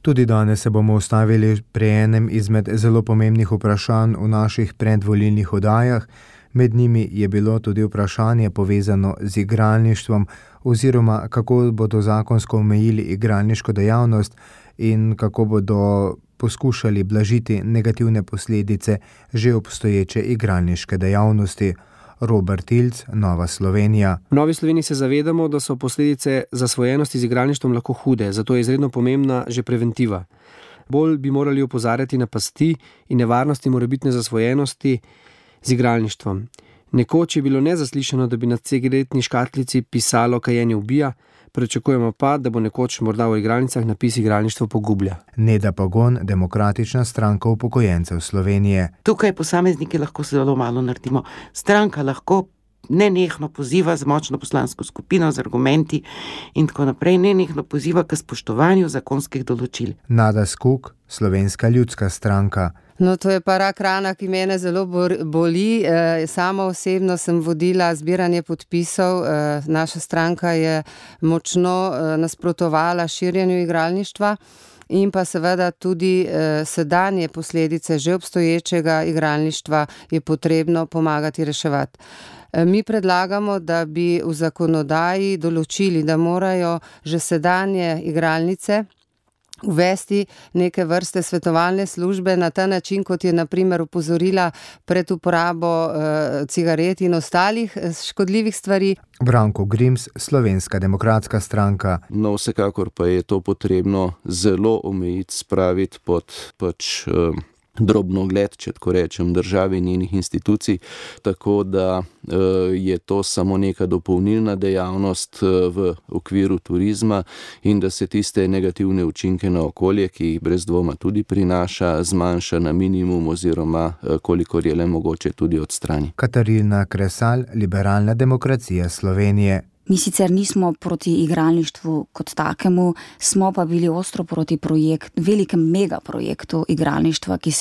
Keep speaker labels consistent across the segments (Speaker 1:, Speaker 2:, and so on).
Speaker 1: Tudi danes se bomo ustavili pri enem izmed zelo pomembnih vprašanj v naših predvolilnih oddajah. Med njimi je bilo tudi vprašanje povezano z igralništvom oziroma kako bodo zakonsko omejili igralniško dejavnost in kako bodo poskušali blažiti negativne posledice že obstoječe igralniške dejavnosti. Robert Ilc, Nova Slovenija.
Speaker 2: V Novi Sloveniji se zavedamo, da so posledice zasvojenosti z igralništvom lahko hude, zato je izredno pomembna že preventiva. Bolj bi morali opozarjati na pasti in nevarnosti morebitne zasvojenosti z igralništvom. Nekoč je bilo nezaslišano, da bi na cigaretni škatlici pisalo kajenje ubija, pričakujemo pa, da bo nekoč morda v igralnicah napis igralništvo pogublja.
Speaker 1: Neda Pagon, Demokratična stranka upokojencev Slovenije.
Speaker 3: Tukaj posamezniki lahko zelo malo naredimo. Stranka lahko nenehno poziva z močno poslansko skupino, z argumenti in tako naprej, nenehno poziva k spoštovanju zakonskih določil.
Speaker 1: Nada Skok, Slovenska ljudska stranka.
Speaker 4: No, to je pa rak rana, ki mene zelo boli. Sama osebno sem vodila zbiranje podpisov. Naša stranka je močno nasprotovala širjenju igralništva in pa seveda tudi sedanje posledice že obstoječega igralništva je potrebno pomagati reševati. Mi predlagamo, da bi v zakonodaji določili, da morajo že sedanje igralnice uvesti neke vrste svetovalne službe na ta način, kot je na primer opozorila pred uporabo cigaret in ostalih škodljivih stvari.
Speaker 1: Branko Grims, Slovenska demokratska stranka.
Speaker 5: No, vsekakor pa je to potrebno zelo omejiti, spraviti pod drobnogled, če tako rečem, države in njenih institucij, tako da je to samo neka dopolnilna dejavnost v okviru turizma in da se tiste negativne učinke na okolje, ki jih brez dvoma tudi prinaša, zmanjša na minimum oziroma kolikor je le mogoče tudi odstrani.
Speaker 1: Katarina Kresal, Liberalna demokracija Slovenije.
Speaker 6: Mi sicer nismo proti igralništvu kot takemu, smo pa bili ostro proti velikem megaprojektu igralništva, ki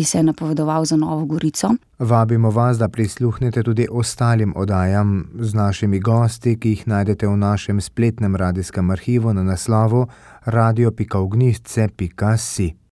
Speaker 6: se je napovedoval za Novo Gorico.
Speaker 1: Vabimo vas, da prisluhnete tudi ostalim oddajam z našimi gosti, ki jih najdete v našem spletnem radijskem arhivu na naslovu radio.ognjišče.si.